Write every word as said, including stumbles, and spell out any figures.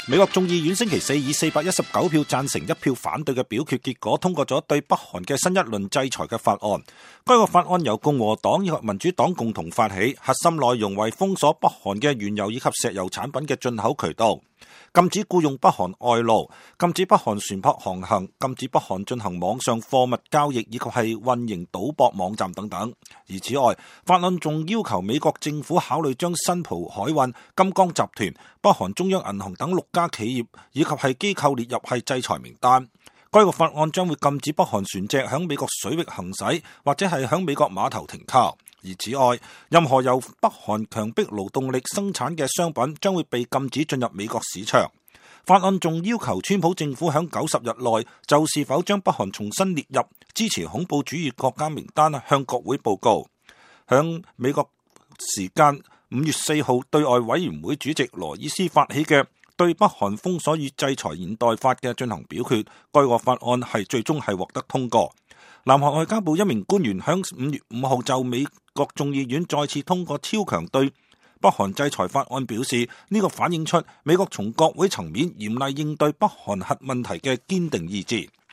美國眾議院星期四以四百一十九票贊成一票反對嘅表決結果，通過咗對北韓嘅新一輪制裁嘅法案。該個法案由共和黨以及民主黨共同發起，核心內容為封鎖北韓嘅原油以及石油產品嘅進口渠道，禁止僱用北韓外勞，禁止北韓船舶航行，禁止北韓進行網上貨物交易以及係運營賭博網站等等。而此外，法案仲要求美國政府考慮將新蒲海運、金剛集團、北韓中央銀行等六家企業以及係機構列入係制裁名單。該個法案將會禁止北韓船隻響美國水域行駛，或者係響美國碼頭停靠。而此外，任何由北韓強迫勞動力生產嘅商品將會被禁止進入美國市場。法案仲要求川普政府響九十日內就是否將北韓重新列入支持恐怖主義國家名單向國會報告。響美國時間五月四號，對外委員會主席羅伊斯發起嘅對北韓封鎖與制裁現代法嘅進行表決，該個法案係最終係獲得通過。南韓外交部一名官員響五月五號就美國眾議院再次通過超強對北韓制裁法案表示，呢個反映出美國從國會層面嚴厲應對北韓核問題嘅堅定意志。